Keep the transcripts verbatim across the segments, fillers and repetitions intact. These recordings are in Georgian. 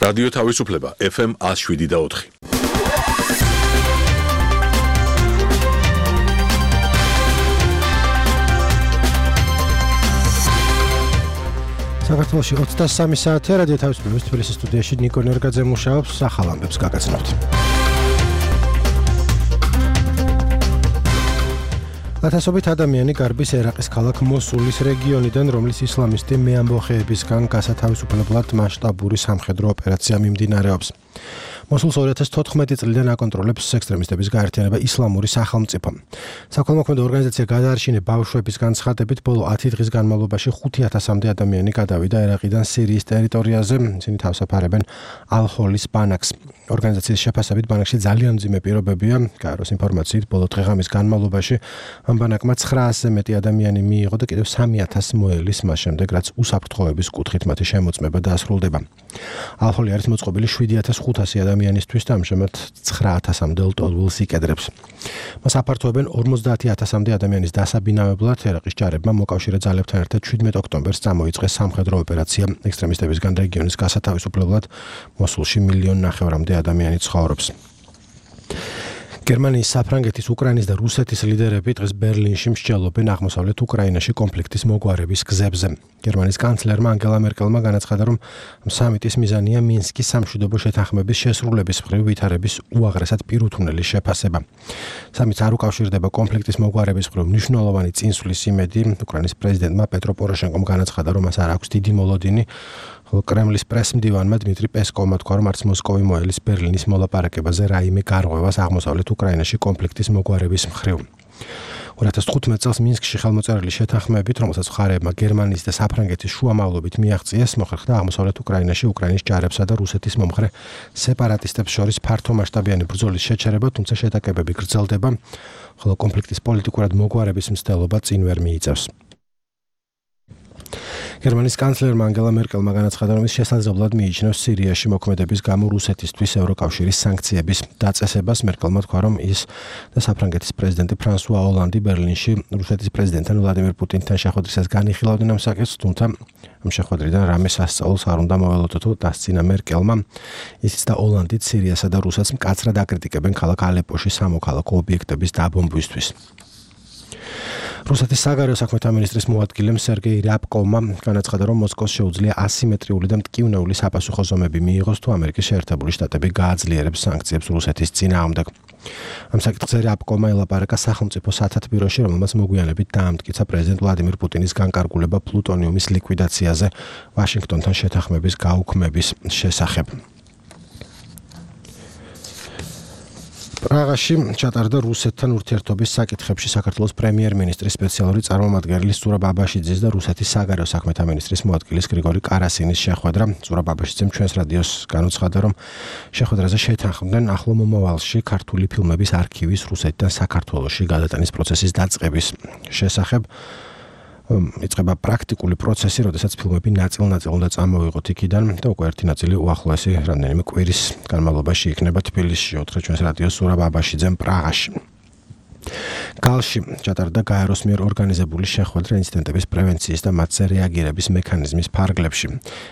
რადიო თავისუფლება ეფ ემ one oh seven და four. საქართველოში ოცდასამი საათია რადიო თავისუფლების თბილისის სტუდიაში ნიკო ნერგაძე მუშაობს, ახალ ამბებს გაგაცნობთ. ათასობით ადამიანი გარბის ერაყის ქალაქ მოსულის რეგიონიდან, რომლის ისლამისტი მეამბოხეებისგან გასათავისუფლებლად მასშტაბური სამხედრო ოპერაცია მიმდინარეობს. მოსულს ორი ათას თოთხმეტი წლიდან აკონტროლებს ექსტრემისტების გაერთიანება ისლამური სახელმწიფო. საქველმოქმედო ორგანიზაცია გადაარჩინე ბავშვების განცხადებით, ბოლო ათი დღის განმავლობაში ხუთი ათასამდე ადამიანი გადავიდა ერაყიდან სირიის ტერიტორიაზე, ისინი თავსაფარებენ ალ-ჰოლის ბანაკს. ორგანიზაციის შეფასებით ბანაკში ძალიან მძიმე პირობებია. გაეროს ინფორმაციით, ბოლო დღე-ღამის განმავლობაში ამ ბანაკმა ცხრაასზე მეტი ადამიანი მიიღო და კიდევ სამი ათასი მოელის მას შემდეგ, რაც უსაფრთხოების კუთხით მათი შემოწმება დაასრულდება. ალ-ჰოლი არის მოწყობილი შვიდი ათას ხუთასი ადამიანისთვის და ამჟამად ცხრა ათასამდე ლტოლვილს იკედრებს. მას აფართოებენ ორმოცდაათი ათასამდე ადამიანის დასაბინავებლად. ერაყის ჯარებმა მოკავშირე ძალებთან ერთად შვიდმეტი ოქტომბერს წამოიწყეს სამხედრო ოპერაცია ექსტრემისტებისგან რეგიონის გასათავისუფლებლად. მოსულში მილიონ ნახევრამდე ადამიანი ცხოვრობს. გერმანიის, საფრანგეთის, უკრაინის და რუსეთის ლიდერები დღეს ბერლინში მსჯელობენ აღმოსავლეთ უკრაინაში კონფლიქტის მოგვარების გზებზე. გერმანიის კანცლერმა ანგელა მერკელმა განაცხადა, რომ სამიტის მიზანია მინსკის სამშვიდობო შეთანხმების შესრულების მხრივ ვითარების უაღრესად პირუთვნელი შეფასება. სამიტს არ უკავშირდება კონფლიქტის მოგვარების მხრივ მნიშვნელოვანი წინსვლის იმედი. უკრაინის პრეზიდენტმა პეტრო პოროშენკომ განაცხადა, რომ მას არ აქვს დიდი მოლოდინი. კრემლის პრესმდივანმა დმიტრი პესკოვმა თქვა, რომ არც მოსკოვი მოელის ბერლინის მოლაპარაკებაზე რაიმე გარღვევას აღმოსავლეთ უკრაინაში კონფლიქტის მოგვარების მხრივ. ორი ათას თხუთმეტ წელს მინსკში ხელმოწერილი შეთანხმებით, რომელსაც მხარეებმა გერმანიის და საფრანგეთის შუამავლობით მიაღწიეს, მოხერხდა აღმოსავლეთ უკრაინაში უკრაინის ჯარებსა და რუსეთის მომხრე სეპარატისტებს შორის ფართომასშტაბიანი ბრძოლის შეჩერება, თუმცა შეტაკებები გრძელდება, ხოლო კონფლიქტის პოლიტიკურად მოგვარების მცდელობა წინ ვერ მიიწევს. გერმანიის კანცლერმა ანგელა მერკელმა განაცხადა, რომ ის შესაძლებლად მიიჩნევს სირიაში მოქმედების გამო რუსეთისთვის ევროკავშირის სანქციების დაწესებას. მერკელმა თქვა, რომ ის და საფრანგეთის პრეზიდენტი ფრანსუა ოლანდი ბერლინში რუსეთის პრეზიდენტთან ვლადიმირ პუტინთან შეხვედრისას განიხილავდნენ ამ საკითხს, თუმცა ამ შეხვედრიდან რამე სასწაულს არ უნდა მოველოდოთ, დასცინა მერკელმა. ისიც და ოლანდიც სირიასა და რუსეთს მკაცრად აკრიტიკებენ ქალაქ ალეპოში სამოქალაქო ობიექტების დაბომბვისთვის. რუსეთის საგარეო საქმეთა მინისტრის მოადგილემ სერგეი რიაბკოვმა განაცხადა, რომ მოსკოვს შეუძლია ასიმეტრიული და მტკივნეული საპასუხო ზომები მიიღოს, თუ ამერიკის შეერთებული შტატები გააძლიერებს სანქციებს რუსეთის წინააღმდეგ. ამ საკითხზე რიაბკოვმა ელაპარაკა სახელმწიფო სათათბიროში, რომელმაც მოგვიანებით დაამტკიცა პრეზიდენტ ვლადიმირ პუტინის განკარგულება პლუტონიუმის ლიკვიდაციაზე ვაშინგტონთან შეთანხმების გაუქმების შესახებ. პრაღაში ჩატარდა რუსეთთან ურთიერთობის საკითხებში საქართველოს პრემიერ-მინისტრის სპეციალური წარმომადგენელი ზურაბ აბაშიძის და რუსეთის საგარეო საქმეთა მინისტრის მოადგილის გრიგორი კარასინის შეხვედრა. ზურაბ აბაშიძემ ჩვენს რადიოს განუცხადა, რომ შეხვედრაზე შეთანხმდნენ ახლო მომავალში ქართული ფილმების არქივის რუსეთიდან საქართველოში გადატანის პროცესის დაწყების შესახებ. იწყება პრაქტიკული პროცესი, როდესაც ფილმები ნაწილ-ნაწილ უნდა წამოვიღოთ იქიდან და უკვე ერთი ნაწილი უახლოესი რამდენიმე კვირის განმავლობაში იქნება თბილისში. უთხრა ჩვენს რადიოს ზურაბ აბაშიძემ პრაღაში. გალში ჩატარდა გაეროს მიერ ორგანიზებული შეხვედრა ინციდენტების პრევენციის და მათზე რეაგირების მექანიზმის ფარგლებში.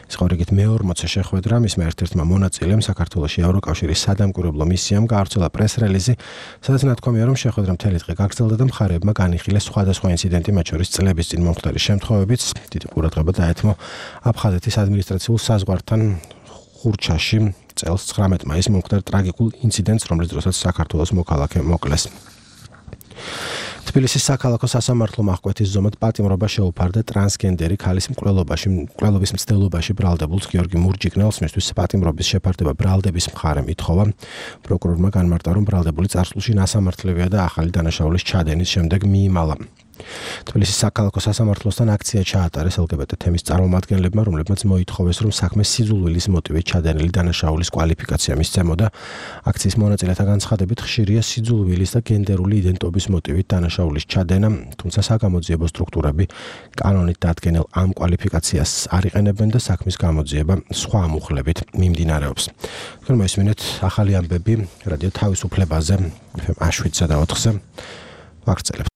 ის იყო რიგით მეორმოცე შეხვედრა, მისმა ერთ-ერთმა მონაწილემ საქართველოში ევროკავშირის სადამკვირვებლო მისიამ გაავრცელა პრეს-რელიზი, სადაც ნათქვამია, რომ შეხვედრა მთელი დღე გაგრძელდა და მხარეებმა განიხილეს სხვადასხვა ინციდენტი, მათ შორის წლების წინ მომხდარი შემთხვევებიც. დიდი ყურადღება დაეთმო აფხაზეთის ადმინისტრაციულ საზღვართან ხურჩაში წელს ცხრამეტ მაისს მომხდარ ტრაგიკულ ინციდენტს, რომლის დროსაც საქართველოს მოქალაქე მოკლეს. თბილისის საქალაქო სასამართლო აღკვეთის ზომად პატიმრობა შეუფარდა ტრანსგენდერი ქალის მკვლელობაში მკვლელობის მცდელობაში ბრალდებულს გიორგი მურჯიგნელს, მისთვის პატიმრობის შეფარდება ბრალდების მხარემ ითხოვა. პროკურორმა განმარტა, რომ ბრალდებული წარსულში ნასამართლევია და ახალი დანაშაულის ჩადენის შემდეგ მიიმალა. თბილისის საქალაქო სასამართლოსთან აქცია ჩაატარეს ელ გი ბი ტე თემის წარმომადგენლებმა, რომლებმაც მოითხოვეს, რომ საქმე სიძულვილის მოტივით ჩადენილი დანაშაულის კვალიფიკაცია მისცემოდა. აქციის მონაწილეთა განცხადებით, ხშირია სიძულვილის და გენდერული იდენტობის მოტივით დანაშაულის ჩადენა, თუმცა საგამოძიებო სტრუქტურები კანონით დადგენილ ამ კვალიფიკაციას არ იყენებენ და საქმის გამოძიება სხვა ამუხლებით მიმდინარეობს. თქვენ მოისმინეთ ახალი ამბები რადიო თავისუფლებაზე ეფ ემ one oh seven და four-ზე. ვაგრძელებთ.